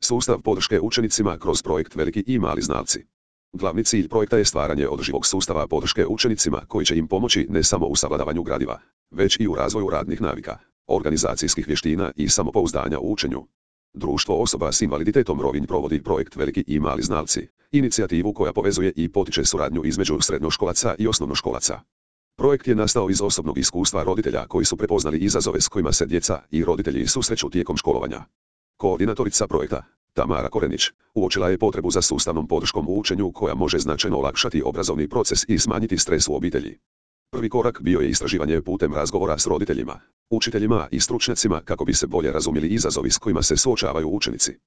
Sustav podrške učenicima kroz projekt Veliki i mali znalci. Glavni cilj projekta je stvaranje održivog sustava podrške učenicima koji će im pomoći ne samo u savladavanju gradiva, već i u razvoju radnih navika, organizacijskih vještina i samopouzdanja u učenju. Društvo osoba s invaliditetom Rovinj provodi projekt Veliki i mali znalci, inicijativu koja povezuje i potiče suradnju između srednjoškolaca i osnovnoškolaca. Projekt je nastao iz osobnog iskustva roditelja koji su prepoznali izazove s kojima se djeca i roditelji susreću tijekom školovanja. Koordinatorica projekta, Tamara Korenić, uočila je potrebu za sustavnom podrškom u učenju koja može značajno olakšati obrazovni proces i smanjiti stres u obitelji. Prvi korak bio je istraživanje putem razgovora s roditeljima, učiteljima i stručnjacima kako bi se bolje razumjeli izazovi s kojima se suočavaju učenici.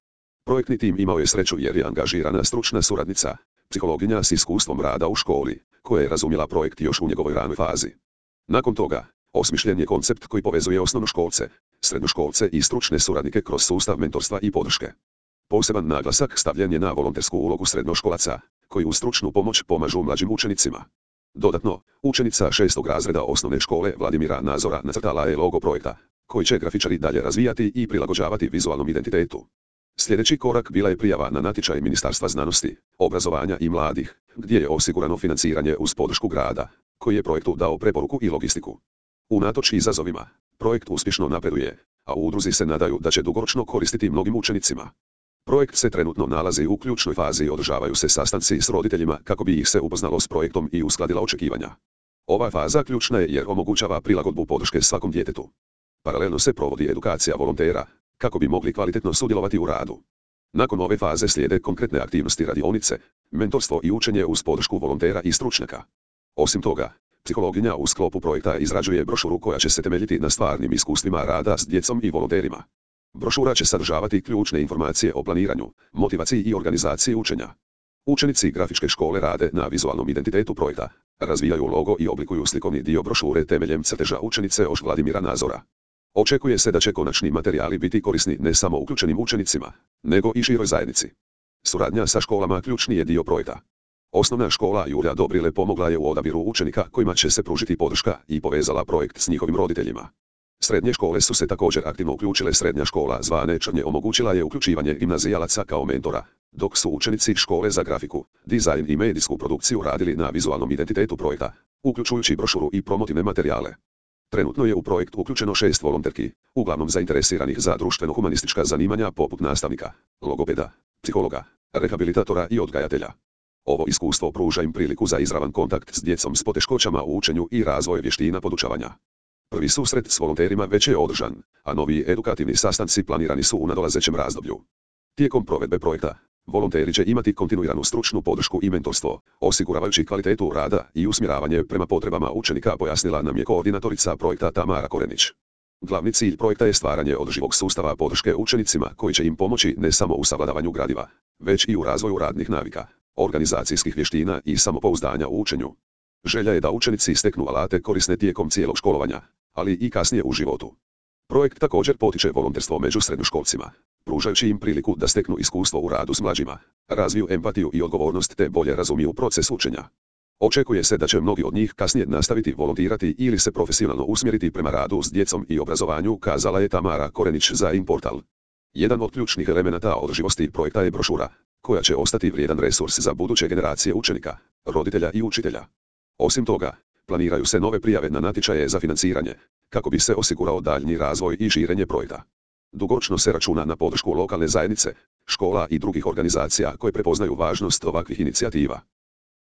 Projektni tim imao je sreću jer je angažirana stručna suradnica, psihologinja s iskustvom rada u školi, koja je razumjela projekt još u njegovoj ranoj fazi. Nakon toga, osmišljen je koncept koji povezuje osnovnoškolce, srednjoškolce i stručne suradnike kroz sustav mentorstva i podrške. Poseban naglasak stavljen je na volontersku ulogu srednjoškolaca, koji uz stručnu pomoć pomažu mlađim učenicima. Dodatno, učenica 6. razreda osnovne škole Vladimira Nazora nacrtala je logo projekta, koji će grafičari dalje razvijati i prilagođavati vizualnom identitetu. Sljedeći korak bila je prijava na natječaj Ministarstva znanosti, obrazovanja i mladih, gdje je osigurano financiranje uz podršku grada, koji je projektu dao preporuku i logistiku. Unatoč izazovima, projekt uspješno napreduje, a u udruzi se nadaju da će dugoročno koristiti mnogim učenicima. Projekt se trenutno nalazi u ključnoj fazi i održavaju se sastanci s roditeljima kako bi ih se upoznalo s projektom i uskladila očekivanja. Ova faza ključna je jer omogućava prilagodbu podrške svakom djetetu. Paralelno se provodi edukacija volontera, kako bi mogli kvalitetno sudjelovati u radu. Nakon ove faze slijede konkretne aktivnosti radionice, mentorstvo i učenje uz podršku volontera i stručnjaka. Osim toga, psihologinja u sklopu projekta izrađuje brošuru koja će se temeljiti na stvarnim iskustvima rada s djecom i volonterima. Brošura će sadržavati ključne informacije o planiranju, motivaciji i organizaciji učenja. Učenici grafičke škole rade na vizualnom identitetu projekta, razvijaju logo i oblikuju slikovni dio brošure temeljem crteža učenice Oš Vladimira Nazora. Očekuje se da će konačni materijali biti korisni ne samo uključenim učenicima, nego i široj zajednici. Suradnja sa školama ključni je dio projekta. Osnovna škola Julija Dobrile pomogla je u odabiru učenika kojima će se pružiti podrška i povezala projekt s njihovim roditeljima. Srednje škole su se također aktivno uključile. Srednja škola Zvane Črnje omogućila je uključivanje gimnazijalaca kao mentora, dok su učenici škole za grafiku, dizajn i medijsku produkciju radili na vizualnom identitetu projekta, uključujući brošuru i promotivne materijale. Trenutno je u projekt uključeno 6 volonterki, uglavnom zainteresiranih za društveno-humanistička zanimanja poput nastavnika, logopeda, psihologa, rehabilitatora i odgajatelja. Ovo iskustvo pruža im priliku za izravan kontakt s djecom s poteškoćama u učenju i razvoj vještina podučavanja. Prvi susret s volonterima već je održan, a novi edukativni sastanci planirani su u nadolazećem razdoblju. Tijekom provedbe projekta, volonteri će imati kontinuiranu stručnu podršku i mentorstvo, osiguravajući kvalitetu rada i usmjeravanje prema potrebama učenika, pojasnila nam je koordinatorica projekta Tamara Korenić. Glavni cilj projekta je stvaranje održivog sustava podrške učenicima koji će im pomoći ne samo u savladavanju gradiva, već i u razvoju radnih navika, organizacijskih vještina i samopouzdanja u učenju. Želja je da učenici steknu alate korisne tijekom cijelog školovanja, ali i kasnije u životu. Projekt također potiče volonterstvo među srednjoškolcima, pružajući im priliku da steknu iskustvo u radu s mlađima, razviju empatiju i odgovornost te bolje razumiju proces učenja. Očekuje se da će mnogi od njih kasnije nastaviti volontirati ili se profesionalno usmjeriti prema radu s djecom i obrazovanju, kazala je Tamara Korenić za InPortal. Jedan od ključnih elemenata održivosti projekta je brošura, koja će ostati vrijedan resurs za buduće generacije učenika, roditelja i učitelja. Osim toga, planiraju se nove prijave na natječaje za financiranje, kako bi se osigurao daljnji razvoj i širenje projekta. Dugoročno se računa na podršku lokalne zajednice, škola i drugih organizacija koje prepoznaju važnost ovakvih inicijativa.